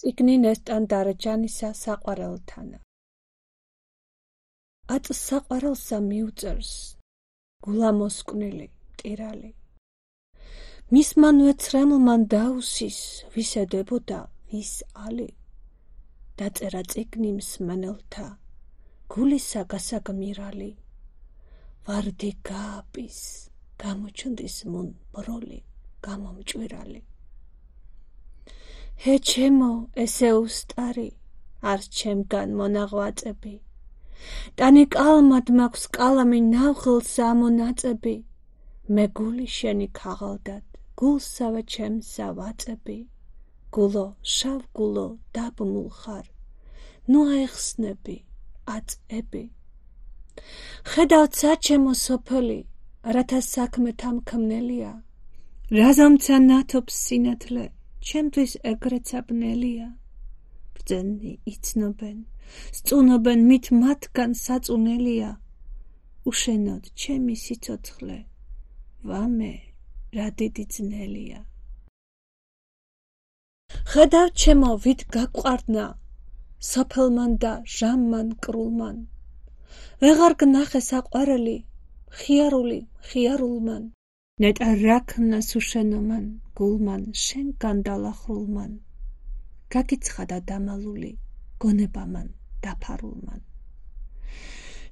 წიგნი ნესტან დარეჯანისა საყვარელთანა. აწს საყვარელსა მიუწერს გულა მოსკვნილი მტირალი. მისმან ვეცრემლმან დაუსის ვისედებოდა ვის ალი. დაწერა წიგნი მსმენელთა გულისა გასაგმირალი. ვარდი გააპის გამოჩნდის მუნ ბროლი გამომჭვირალი. ჰე ჩემო ესე უსტარი არს ჩემგან მონაღვაწები. ტანი კალმად მაქვს კალამი ნავხილსა ამონაწები. მე გული შენი ქაღალდად გულსავე ჩემსა ვაწები. გულო შავ გულო დაბმულ ხარ ნუ აიხსნები აწები. ხედავთ საჩემო სოფელი რათა საქმე თამქმნელია. რაზამცა ნათობს სინათლე ჩემთვის ეგრეცა ბნელია. ბრძენი იცნობენ სწუნობენ მით მათგან საწუნელია. უშენოდ ჩემი სიცოცხლე ვამე რა დიდი ძნელია. ხედავ ჩემო ვით გაყვარდნა სოფელმან და ჟამმან კრულმან. ვეღარ გნახე საყვარელი ხიარული ხიარულმან. ნეტარ რაქნა სუშენომან გულმან შენ განდალახრულმან. გაგიცხადა დამალული გონებამან დაფარულმან.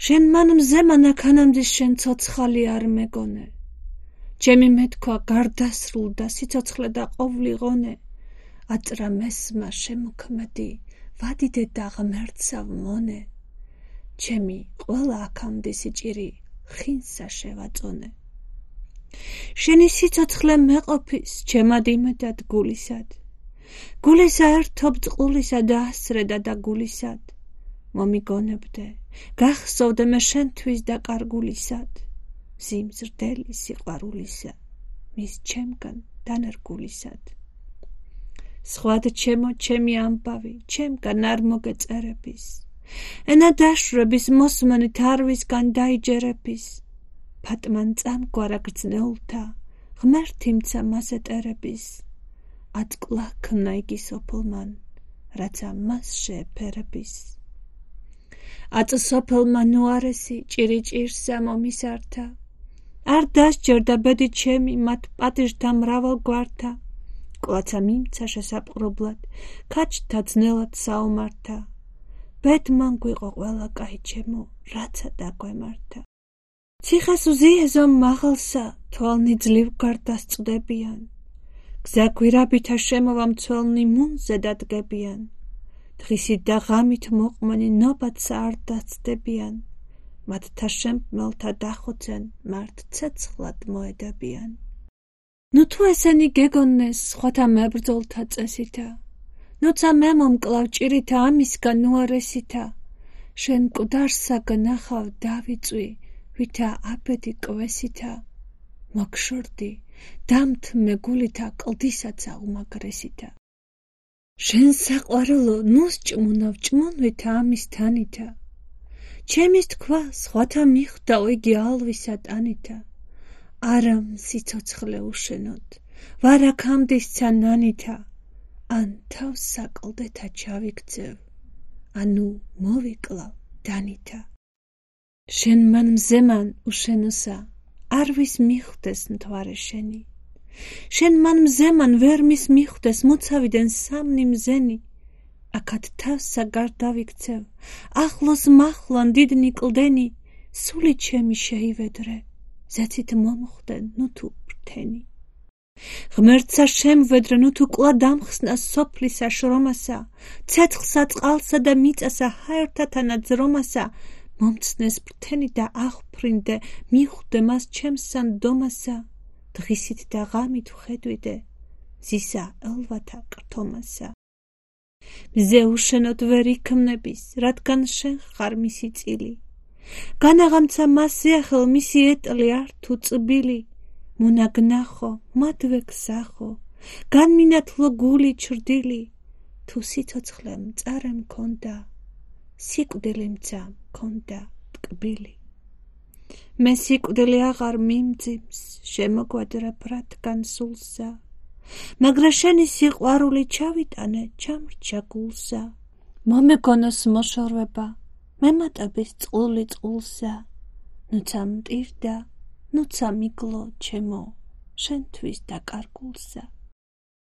შენ მან მზემან აქანამდის შენ ცოცხალი არ მეგონე. ჩემი მეთქვა გარდასრულ და სიცოცხლე და ყოვლი ღონე. აწრა მესმა შემოქმედი ვადიდე და ღმერთსავ მონე. ჩემი ყველა აქამდე სიჭირი ხინსა შევაწონე. შენი სიცოცხლე მეყოფის ჩემად იმედად გულისად. გულისა ერთობ წყულისა და ასრედა და გულისად. მომიგონებდე გახსოვდე მე შენთვის და კარგულისად. ზიმზრდელი სიყვარულისა მის ჩემგან დანერგულისად. სხვად ჩემო ჩემი ამბავი ჩემგან არ მოგეწერების. ენა დაშვების მოსმენით არვისგან დაიჯერების. ფატმან წამგვარა გრძნეულთა ღმერთიმცა მას ეტერების. აწკლაქნა იგი სოფლმან რაცა მას შეეფერების. აწ სოფლმა ნუარესი ჭირიჭირსა მომისართა. არ დასჯერდა ბედი ჩემი მათ პატიჟთა მრავალ გვართა. კლაცა მიმცა შესაპყრობლად ქაჩთა ძნელად საომართა. ბედმან გვიყო ყველა კაი ჩემო რაცა დაგვემართა. ციხეს უზიეზო მაღალსა თვალნი ძლივ გარდასწვდებიან. გზა გვირაბითა შემოვა მცველნი მუნზე დადგებიან. დღისით და ღამით მოყმენი ნობათსა არ დაცდებიან. მათთა შემქმელთა დახოცენ მართ ცეცხლად მოედებიან. ნუ თუ ესენი გეგონნეს სხვათა მებრძოლთა წესითა. ნუცა მე მომკლავ ჭირითა ამისგან უარესითა. შენ მკვდარსა გნახავ დავიწვი ვითა აბედი კვესითა. მოგშორდი დამთმე გულითა კლდისაცა უმაგრესითა. შენ საყვარელო ნუს ჭმუნავ ჭმუნვითა ამის თანითა. ჩემის თქვა სხვათა მიხვდაო იგი ალვისა ტანითა. არა სიცოცხლე უშენოდ ვარ აქამდისცა ნანითა. ან თავს საკლდეთა ჩავიქცევ ანუ მოვიკლავ დანითა. შენ მან მზემან უშენოსა არვის მიხვდეს მთვარე შენი. შენ მან მზემან ვერ მის მიხვდეს მოცავიდან სამნი მზენი. აქად თავსა გარდავიქცევ ახლოს მახლან დიდნი კლდენი. სული ჩემი შეივედრე ზეცით მომხვდე ნუ თუ ბრთენი. ღმერთსა შემვედრე ნუ თუ კლა დამხსნა სოფლისა შრომასა. ცეცხლსა წყალსა და მიწასა ჰაერთათანა ძრომასა. მომცნეს ბრთენი და აღფრინდე მიხვდე მას ჩემსა ნდომასა. დღისით და ღამით ვხედვიდე ზისა ელვათა კრთომასა. მზე უშენოდ ვერ იქმნების რადგან შენ ხარ მისი წილი. განაღამცა მასზე ახელ მისი ეტლი არ თუ წბილი. მონაგნახო მადვე გსახო განმინათლო გული ჩრდილი. თუ სიცოცხლე მწარე მქონდა სიკვდილი მცა მქონდა ტკბილი. მე სიკვდილი აღარ მიმძიმს შემოგვადრებ რადგან სულსა. მაგრა შენი სიყვარული ჩავიტანე ჩამრჩა გულსა მომეგონოს მოშორება მემატების წყული წყულსა ნუცა მტირდა ნუცა მიგლო ჩემო შენთვის დაკარგულსა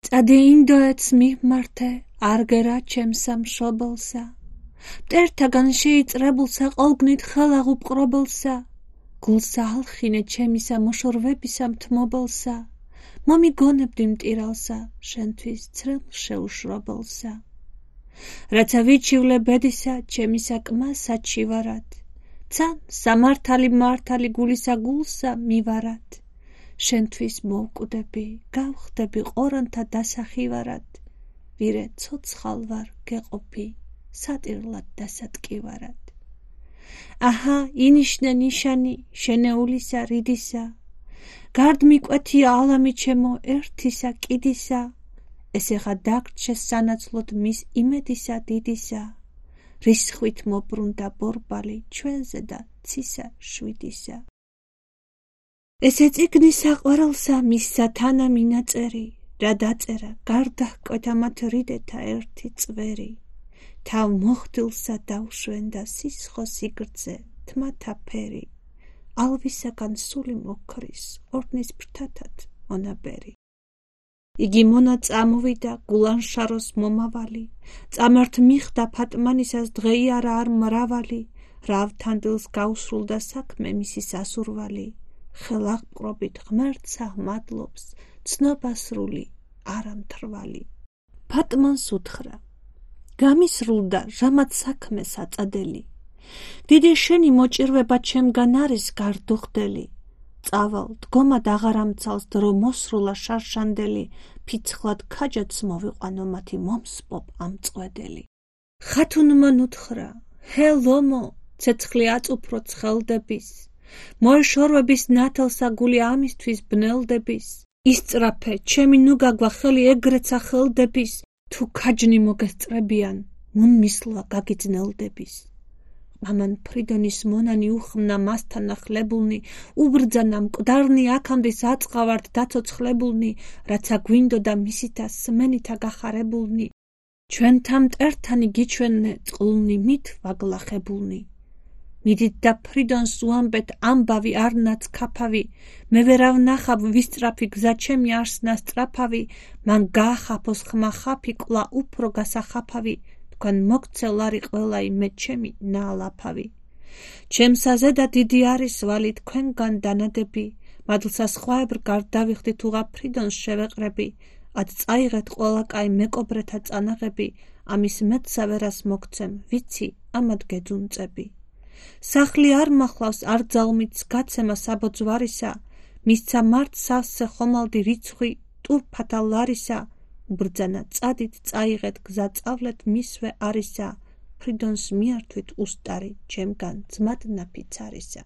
წადი ინდოეთს მივმართე არგერა ჩემსა მშობელსა მტერთაგან შეიწრებულსა ყოლგნით ხელაღ უპყრობელსა გულსა ალხინე ჩემისა მოშორვებისა მთმობელსა მომიგონებდი მტირალსა შენთვის ცრილ შეუშრობელსა რაცა ვიჩივლე ბედისა ჩემისა კმასა ჩივარად ცან სამართალი მართალი გულისა გულსა მივარად შენთვის მოვკვდები გავხდები ყორანთა დასახივარად ვირე ცოცხალ ვარ გეყოფი სატირლად დასატკივარად აჰა ინიშნე ნიშანი შენეულისა რიდისა გარდმიკვეთია ალამი ჩემო ერთისა კიდისა ესეხა დაგრჩე სანაცვლოდ მის იმედისა დიდისა რისხვით მობრუნდა ბორბალი ჩვენზე და ცისა შვიდისა ესე წიგნი საყვარელსა მისსა თანა მინაწერი რა დაწერა გარდაჰკვეთა მათ რიდეთა ერთი წვერი თავ მოხდილსა დავშვენდა სისხო სიგრძე თმათა ფერი ალვისაგან სული მოქრის ორდნის ფრთათად მონაბერი იგი მონა წამოვიდა გულანშაროს მომავალი წამართ მიხდა ფატმანისას დღეიარა არ მრავალი რავთანდილს გაუსრულდა საქმე მისი სასურვალი ხელაღპყრობით ღმერთსა მადლობს ცნობასრული არამთრვალი ფატმანს უთხრა გამისრულდა რამაც საქმე საწადელი დიდი შენი მოჭირვება ჩემგან არის გარდუხდელი წავალ დგომად აღარ ამცალს დრო მოსრულა შარშანდელი ფიცხლად ქაჯაც მოვიყვანო მათი მომსპობ ამწყვედელი ხათუნმა ნუთხრა ჰე ლომო ცეცხლი აწუფრო ცხელდების მოეშორვების ნათელსა გული ამისთვის ბნელდების ისწრაფე ჩემი ნუგაგვა ხელი ეგრეცა ხელდების თუ ქაჯნი მოგესწრებიან მუნ მისლა გაგიძნელდების ამან ფრიდონის მონანი უხმნა მასთან ახლებულნი უბრძანა მკვდარნი აქამდე აწყავართ დაცოცხლებულნი რაცა გვინდოდა მისითა სმენითა გახარებულნი ჩვენთა მტერთანი გიჩვენე წყლულნი მით ვაგლახებულნი მიდით და ფრიდონს უამბეთ ამბავი არნაც ქაფავი მე ვერავ ნახავ ვისწრაფი გზა ჩემი არსნა სწრაფავი მან გაახაფოს ხმა ხაფი კლა უფრო გასახაფავი თქვენ მოგცელ არი ყველაი მე ჩემი ნაალაფავი ჩემსაზე და დიდი არის ვალი თქვენგან დანადები მადლსა სხვაებრ გარდავიხდი თუღა ფრიდონს შევეყრები ად წაიღეთ ყველა კაი მეკობრეთა წანაღები ამის მეტსა ვერას მოგცემ ვიცი ამად გეძუნწები სახლი არ მახლავს არ ძალმიც გაცემა საბოძვარისა მისცა მართ სავსე ხომალდი რიცხვი ტურფათა ლარისა უბრძანა წადით წაიღეთ გზა წავლეთ მისვე არისა ფრიდონს მიართვით უსტარი ჩემგან ძმად ნაფიც არისა